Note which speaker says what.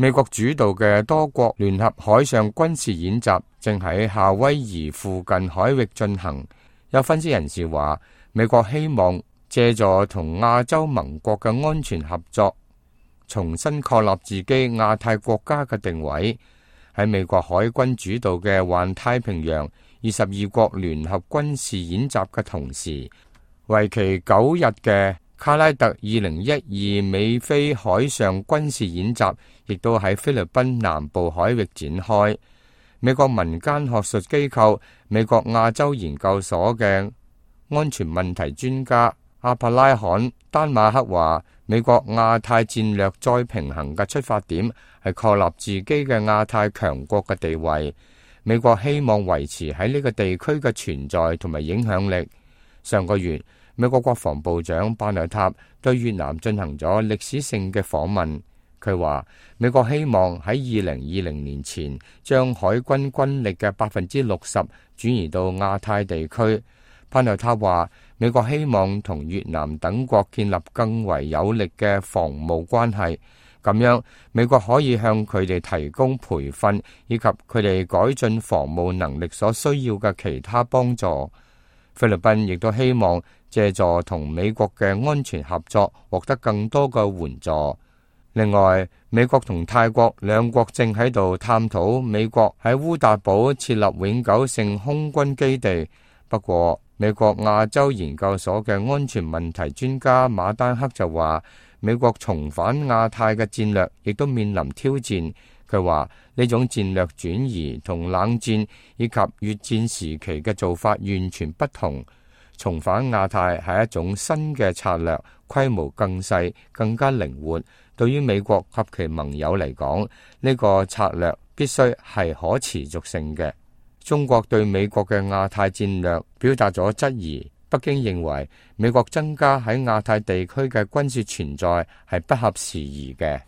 Speaker 1: 美國主導嘅多國聯合海上軍事演習正喺夏威夷附近海域進行。有分析人士話，美國希望借助同亞洲盟國嘅安全合作，重新確立自己亞太國家嘅定位。喺美國海軍主導嘅環太平洋22國聯合軍事演習嘅同時，為期9日嘅卡拉特2012美菲海上軍事演習亦都喺菲律賓南部海域展開。美國民間學術機構美國亞洲研究所嘅安全問題專家阿帕拉罕丹馬克話，美國亞太戰略再平衡嘅出發點係確立自己嘅亞太強國嘅地位。美國希望維持喺呢個地區嘅存在同埋影響力。上個月，美國國防部長巴內塔對越南進行咗歷史性嘅訪問。佢話美國希望喺2020年前將海軍軍力嘅60%轉移到亞太地區。巴內塔話美國希望同越南等國建立更為有力嘅防務關係，咁樣美國可以向佢哋提供培訓以及佢哋改進防務能力所需要嘅其他幫助。菲律賓亦都希望借助同美國嘅安全合作，獲得更多嘅援助。另外，美國同泰國兩國正喺度探討美國喺烏達堡設立永久性空軍基地。不過，美國亞洲研究所嘅安全問題專家馬丹克就話，美國重返亞太嘅戰略亦都面臨挑戰。佢話呢種戰略轉移同冷戰以及越戰時期嘅做法完全不同。重返亞太係一種新嘅策略，規模更細，更加靈活。對於美國及其盟友嚟講，呢個策略必須係可持續性嘅。中國對美國嘅亞太戰略表達咗質疑。北京認為美國增加喺亞太地區嘅軍事存在係不合時宜嘅。